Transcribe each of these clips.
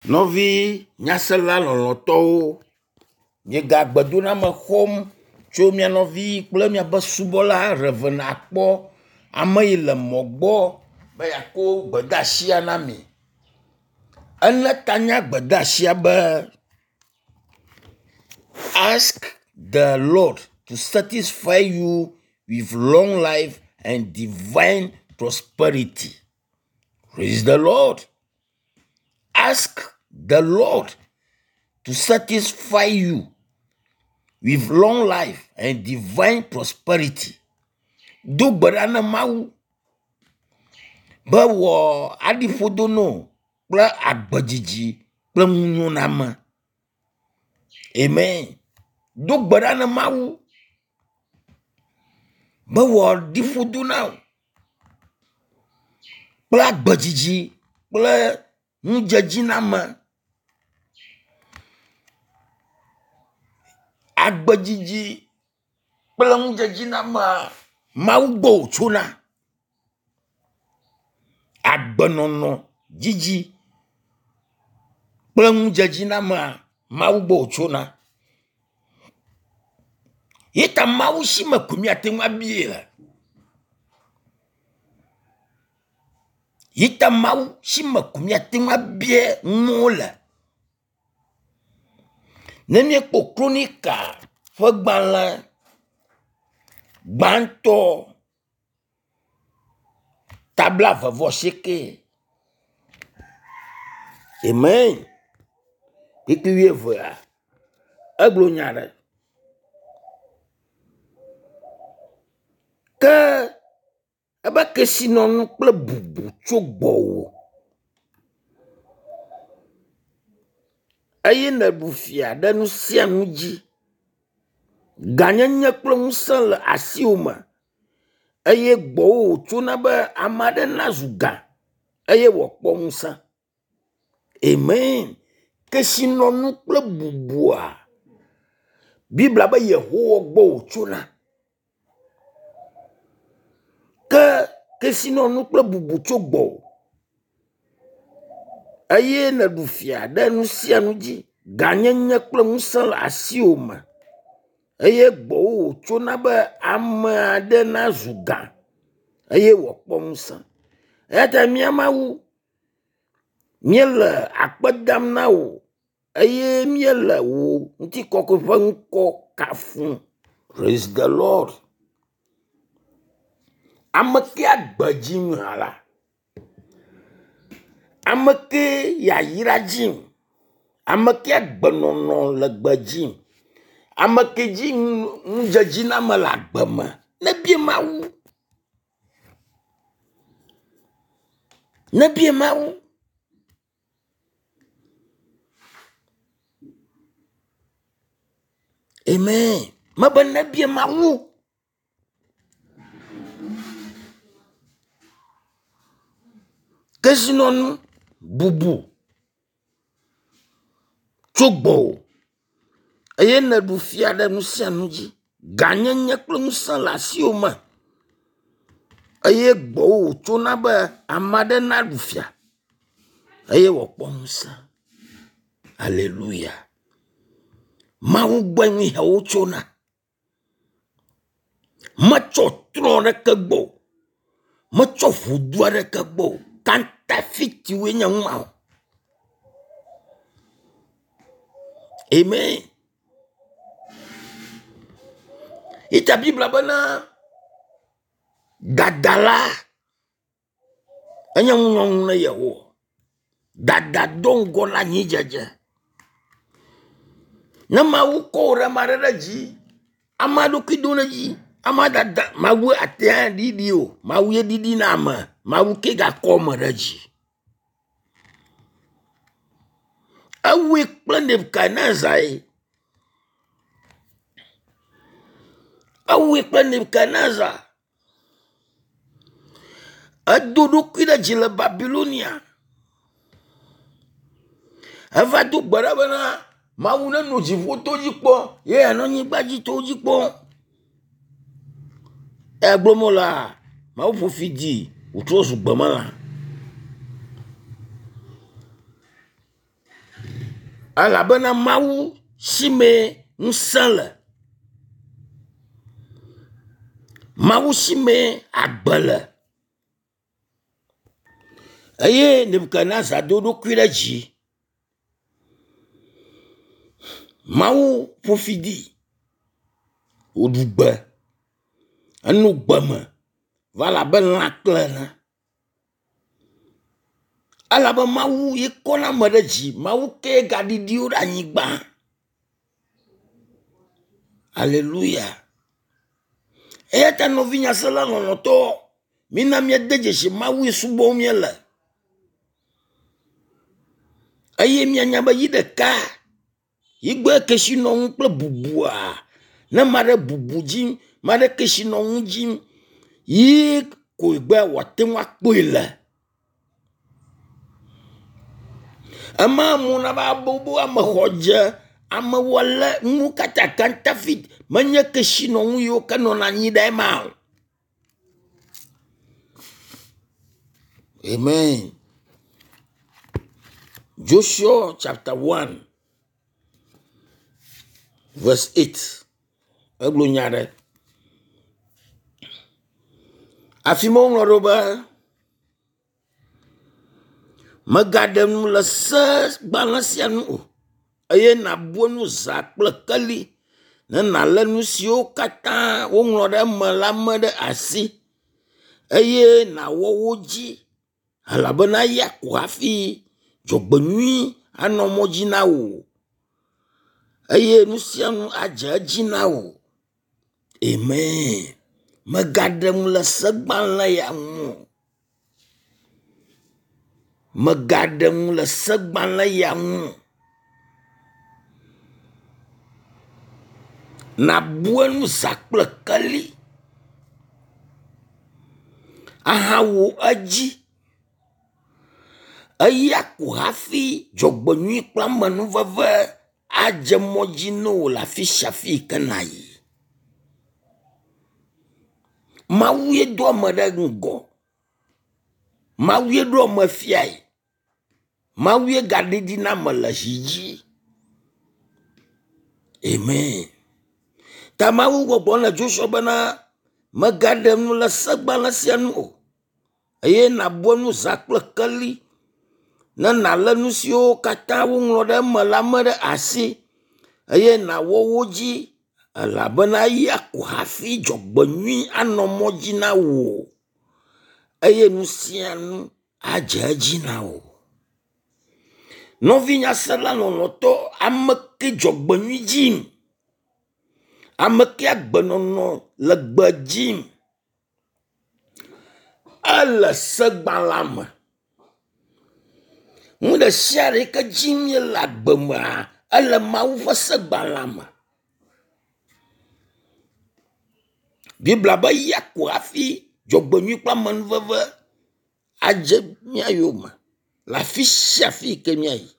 Nɔvi nyasela lɔlɔ̃tɔwo, miega gbedoname xɔm tso mia nɔvi kple miaƒe subɔla Rev. Akpɔ ame yi le mɔ gbɔ be yeakɔ gbedeasia na mi. Ele ta na gbedeasia be ask the Lord to satisfy you with long life and divine prosperity. Praise the Lord. Ask the Lord to satisfy you with long life and divine prosperity. Do gbe ɖa na Mawu be wɔ aɖi ƒodo nɔ kple agbedzidzi kple nunyoname. Amen. Do gbe ɖa na Mawu be wòaɖi ƒodo na wò kple agbedzidzi kple nudzedziname. Agbedzidzi kple nudzedzinamea, Mawu gbɔ wòtsona. Agbenɔnɔ dzidzi kple nudzedzinamea, Mawu gbɔ wòtsona. Ye ta Mawu si me ko míate ŋu abie le. Yi ta Mawu si me ko míate ŋu abie nuwo le. Ne míekpɔ Kronika ƒe gbalẽ gbãtɔ ta blaeve-vɔ-asieke. Amen. Kpukpui wuievea, egblɔ nya ɖe. Ke ebe kesinɔnu kple bubu tso gbɔwò eye nèɖu fia ɖe nu sia nu dzi. Gãnyenye kple ŋusẽ le asiwò me eye gbɔwò wòtsona be ame aɖe nazu gã eye wòakpɔ ŋusẽ. Amen. Kesinɔnu kple bubua, Biblia be Yehowa gbɔ wòtsona. Ke kesinɔnu kple bubu tso gbɔwò eye nèɖu fia ɖe nu sia nu dzi. Gãnyenye kple ŋusẽ le asiwò me eye gbɔwò wòtsona be ame aɖe nazu gã eye wòakpɔ ŋusẽ. Eya ta mía Mawu, míele akpe dam na wò eye míele wò ŋutikɔkɔe ƒe ŋkɔ kafum. Praise the Lord. Ame ke agbe dzi hã la, ame ke yayra dzi, ame ke agbenɔnɔ le gbe dzi, ame ke dzi nudzedziname le agbe me, nebia Mawu. Nebia Mawu. Amen. Mebe nebia Mawu. Kesinɔnu bubu tso gbɔwò eye nèɖu fia ɖe nu sia nu dzi. Gãnyenye kple ŋusẽ le asiwò me eye gbɔwò wòtsona be ame aɖe naɖu fia eye wòakpɔ ŋusẽ. Aleluya. Mawu gbɔe nu yawo tsona. Metsɔ trɔ ɖeke gbɔ o. Metsɔ ʋudu aɖeke gbɔ o. Kantafitiwoe nye nu mawo. Amen. Ita Biblia bena dadala enye ŋunyɔnu na Yehowa. Dada do ŋgɔ na anyidzedze. Ne Mawu kɔ wò ɖe ame aɖe ɖe dzi, ame ɖokui do ɖe dzi, ame dada Mawu ate aɖiɖi o. Mawu ye ɖiɖi na ame. Mawu ke gakɔ ame ɖe dzi. Ewɔe kple Nebukadnezar ye. Ewɔe kple Nebukadnezar. Edo ɖokui ɖe dzi le Babilonia. Eva do gbe ɖa bena Mawu nenɔ dziƒo to dzi kpɔ ye yeanɔ anyigba dzi to dzi kpɔ. Eya gblɔm wolea, Mawu ƒo fi di wòtrɔ zu gbemelã. Elabena Mawu si mee ŋusẽ le. Mawu si mee agbe le. Eye Nebukadnezar do eɖokui ɖe dzi. Mawu ƒo fi dee wòɖu gbe. Eno gbe me va le abe lãkle ene. Elabe Mawu ye kɔna ame ɖe dzi. Mawu kee gaɖiɖi wo ɖe anyigba. Aleluya. Eya ta nɔvi nyasela lɔlɔ̃tɔ, mina míade dzesi Mawu yi subɔm míele. Eye míanya be yi ɖeka yi gbɔe kesinɔnu kple bubua ne ame aɖe bubu dzim, ame aɖe kesinɔnu dzim yi koe be wòate ŋu akpɔe le. Ema amewo nava bobo ame xɔdze, amewo lé nuwo katã kantafit menye kesinɔnu yiwo ke nɔna anyi ɖe ema o. Amen. Joshua chapter 1 verse 8. Egblɔ nya ɖe. Afi ma woŋlɔ ɖo be Mègaɖe nu le se gbalẽ sia nu o, eye nàbu enu zã kple keli ne nàlé nu siwo katã woŋlɔ ɖe eme la me ɖe asi eye nàwɔ wo dzi elabena eya ko hafi dzɔgbenyui anɔ mɔ dzi na wò eye nu sia nu adze edzi na wò. Amen. Mègaɖe nu le segbalẽ ya ŋu o. Mègaɖe nu le segbalẽ ya ŋu o. Nàbu enu zã kple keli ahawɔ edzi. Eya ko hafi dzɔgbenyui kple amenuveve adze mɔ dzi na wò le afi sia afi yi ke nàyi. Mawu ye do ame ɖe ŋgɔ. Mawu ye ɖo ame fiae. Mawu ye gaɖiɖi na ame le zi dzi. Amen. Ta Mawu gbɔgblɔ le Joshua bena megaɖe nu le segbalẽ sia nu o eye nàbu enu zã kple keli ne nàlé nu siwo katã woŋlɔ ɖe eme la me ɖe asi eye nàwɔ wo dzi elabena eya ko hafi dzɔgbenyui anɔ mɔ dzi na wò eye nu sia nu adze edzi na wò. Nɔvi nyasela lɔlɔ̃tɔ, ame ke dzɔgbenyui dzim, ame ke agbenɔnɔ le gbe dzim, ele segbalẽa me. Nu ɖe sia ɖe yi ke dzim míele agbe mea, ele Mawu ƒe segbalẽa me. Biblia be ya ko hafi dzɔgbenyui kple amenuveve adze mía yome le afi sia afi yi ke míayi.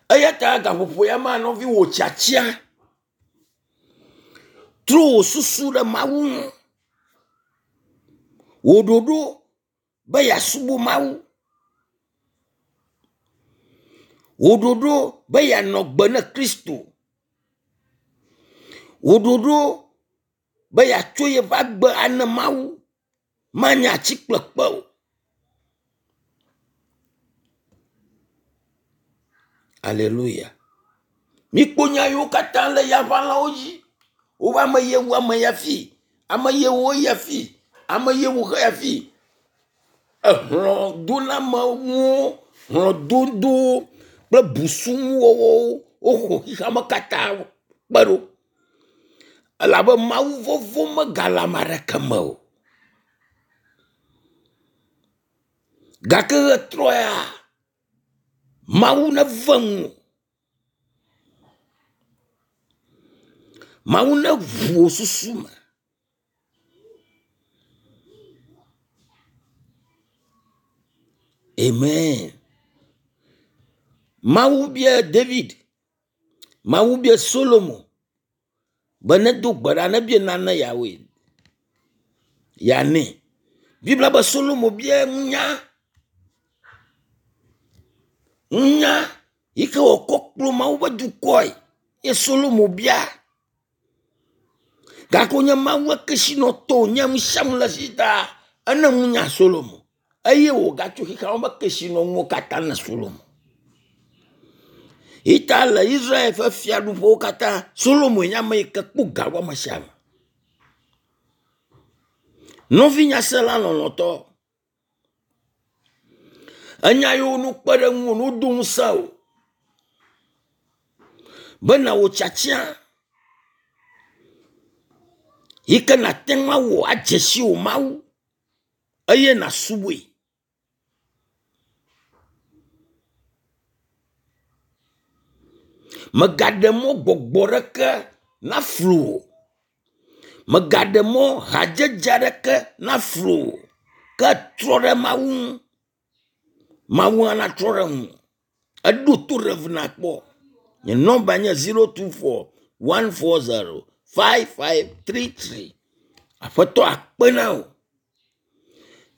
Eya ta gaƒoƒo ya mea nɔvi wò tiatia trɔ wò susu ɖe Mawu ŋu. Wò ɖoɖo be yeasubɔ Mawu. Wò ɖoɖo be yeanɔ gbe ne Kristo. Wò ɖoɖo be yeatso yeƒe agbe ane Mawu manye ati kple kpe o. Aleluya. Mikpɔ nya yiwo katã le yaʋalawo dzi. Wobe ame ye wu ame ya fi, ame ye wu eya fi, ame ye wu xeya fi. Ehlɔ̃donameŋuwo, hlɔ̃dodowo kple busunuwɔwɔwo woxɔ xexeame katã kpe ɖo. Elabe Mawu vɔvɔ̃ megale ame aɖeke me o. Gake ɣetrɔ ya, Mawu neve ŋuwò. Mawu neʋu wò susu me. Amen. Mawu bia David, Mawu bia Solomo be nedo gbe ɖa nebia nane yeawɔe yeanɛ. Biblia be Solomo bia nunya. Nunya yi ke wòkɔ kplɔ Mawu ƒe dukɔe ye Solomo bia. Gake wonye Mawu kesinɔtɔ wònye nu sia nu le esi ta ene nunya Solomo eye wògatso xexea me ƒe kesinɔnuwo katã na Solomo. Yi ta le Israel ƒe fiaɖuƒewo katã Solomoe nye ame yi ke kpɔ ga wu ame sia ame. Nɔvi nyasela lɔlɔ̃tɔ, enya yiwo nu kpe ɖe ŋuwò ne wodo ŋusẽ wò be nàwɔ tiatia yi ke nàte ŋu awɔ adze si wò Mawu eye nàsubɔe. Mègaɖe mɔ gbɔgbɔ ɖeke naflu wò o. Mègaɖe mɔ hadzedze aɖeke naflu wò o. Ke trɔ ɖe Mawu ŋu. Mawu hã natrɔ ɖe ŋuwò. Eɖo to ɖe nakpɔ. Nye nɔmba nye 024 140 5533. Aƒetɔ akpe na wò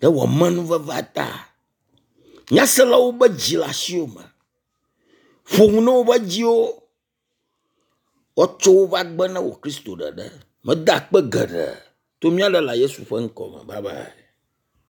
ɖe wò amenuvevea ta. Nyaselawo be dzi le asiwò me. Ƒo nu na woƒe dziwo woatsɔ woƒe agbe na wò Kristo ɖeɖe. Meda akpe geɖe to mía Ɖela Yesu ƒe ŋkɔ me. Bye bye.